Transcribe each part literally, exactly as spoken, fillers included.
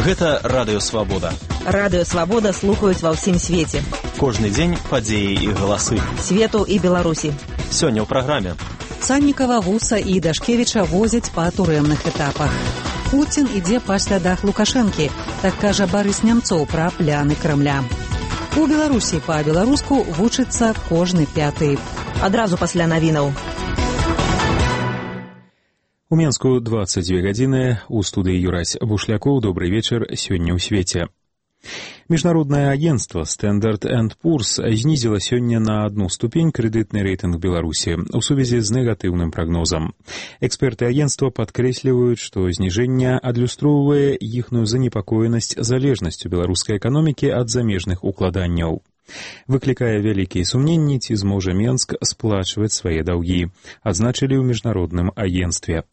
Гэта Радыё Свабода. Радыё Свабода слухаюць ва ўсім свеце. Кожны дзень падзеі і галасы. Свету і Беларусі. Сёння ў праграме. Саннікава, Гуса і Дашкевіча возяць па турэмных этапах. Пуцін ідзе па слядах Лукашэнкі, так кажа Барыс Нямцоў пра пляны Крамля. У Беларусі па-беларуску вучыцца кожны пяты. Адразу пасля навінаў. У Менску двадцать две гадзіны, у студыі Юрась Бушлякоў. Добрый вечар, сёння ў свеце. Міжнароднае агенцтва Standard энд Poor's знізіла сёння на одну ступень крэдытны рэйтынг Беларусі у сувязі з негатыўным прагнозам. Эксперты агенцтва падкрэсліваюць, што зніжэнне адлюстроўвае іхную занепакоенасць залежнасцю беларускай эканомікі ад замежных укладанняў. Выклікае вялікія сумненні, ці зможа Менск сплачваць свае даўгі, адзначылі ў міжнародным агенцтве.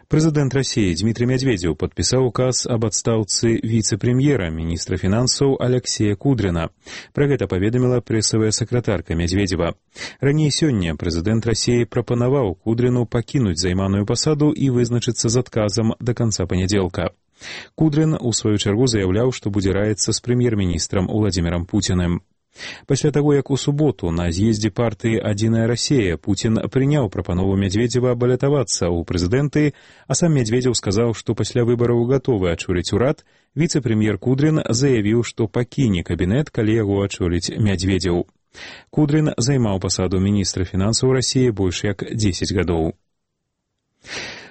Прэзідэнт Расіі Дмітрый Медведзеў падпісаў указ аб адстаўцы віцэ-прэм'ера, міністра фінансаў Аляксея Кудрина. Пра гэта паведаміла прэсавая сакратарка Медведзева. Раней сёння прэзідэнт Расіі прапанаваў Кудрину пакінуць займаную пасаду і вызначыцца з адказам да канца панядзелка. Кудрин, у сваю чаргу, заяўляў, што будзе раіцца з прэм'ер-міністрам Уладзімірам Пуціным. Пасля таго, як у суботу на з'ездзе партыі «Адзіная Расія» Пуцін прыняў прапанову Медведзева балятавацца ў прэзідэнты, а сам Медведзеў сказаў, што пасля выбараў гатовы ачоліць урад, віцэ-прэм'ер Кудрин заявіў, што пакіне кабінет, калі яго ачоліць Медведзеў. Кудрин займаў пасаду міністра фінансаў Расіі больш як дзесяць гадоў.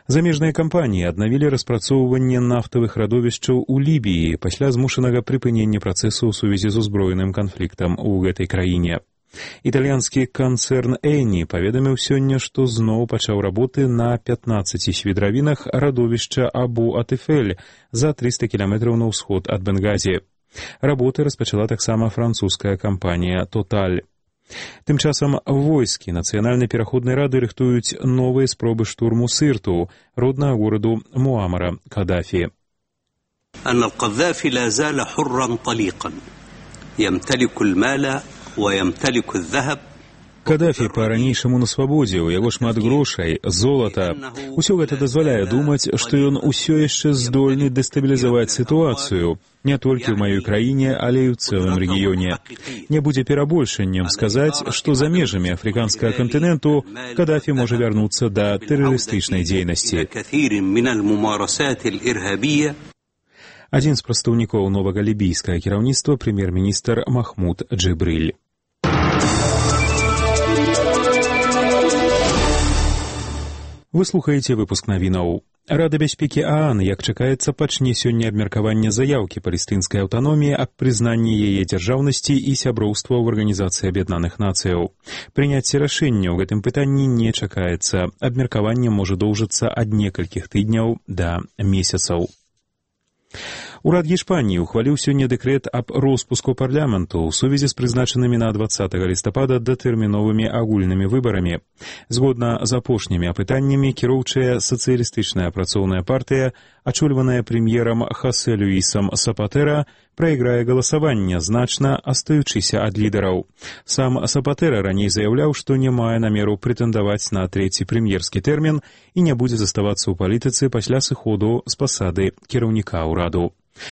Замежныя кампаніі аднавілі распрацоўванне нафтавых радовішчаў у Лібіі пасля змушанага прыпынення працэсу ў сувязі з узброеным канфліктам у гэтай краіне. Італьянскі канцэрн Эйні паведаміў сёння, што зноў пачаў работы на пятнаццаці свідравінах радовішча Абу-Атыфель за трыста кіламетраў на ўсход ад Бенгазі. Работы распачала таксама французская кампанія «Тоталь». Тым часам войскі Нацыянальнай пераходнай рады рыхтуюць новыя спробы штурму Сырту, роднага гораду Муамара Кадафі. أن القذافي لا زال حرا طليقا يمتلك المال ويمتلك الذهب. Кадафі па-ранейшаму на свабодзе, у яго шмат грошай, золата. Усё гэта дазваляе думаць, што ён усё яшчэ здольны дэстабілізаваць сітуацыю, не толькі ў маёй краіне, але і ў цэлым рэгіёне. Не будзе перабольшаннем сказаць, што за межамі афрыканскага кантыненту Кадафі можа вярнуцца да тэрарыстычнай дзейнасці. Адзін з прадстаўнікоў новага лібійскага кіраўніцтва прэм'ер-міністр Махмуд Джибриль. Вы слухаеце выпуск навінаў. Рада бяспекі ААН, як чакаецца, пачне сёння абмеркаванне заяўкі палестынскай аўтаноміі аб прызнанні яе дзяржаўнасці і сяброўства ў Арганізацыі Аб'яднаных Нацыяў. Прыняцце рашэння ў гэтым пытанні не чакаецца. Абмеркаванне можа доўжыцца ад некалькіх тыдняў да месяцаў. Урад Гішпаніі ухваліў сёння дэкрэт аб роспуску парламенту ў сувязі з прызначанымі на дваццатага лістапада датэрміновымі агульнымі выбарамі. Згодна з апошнімі апытаннямі, кіроўчая сацыялістычная працоўная партыя, ачольваная прэм'ерам Хосе Люісам Сапатэра, прайграе галасаванне, значна астаючыся ад лідараў. Сам Сапатэра раней заяўляў, што не мае намеру прэтэндаваць на трэці прэм'ерскі тэрмін і не будзе заставацца ў палітыцы пасля сыходу з пасады кіраўніка ўраду.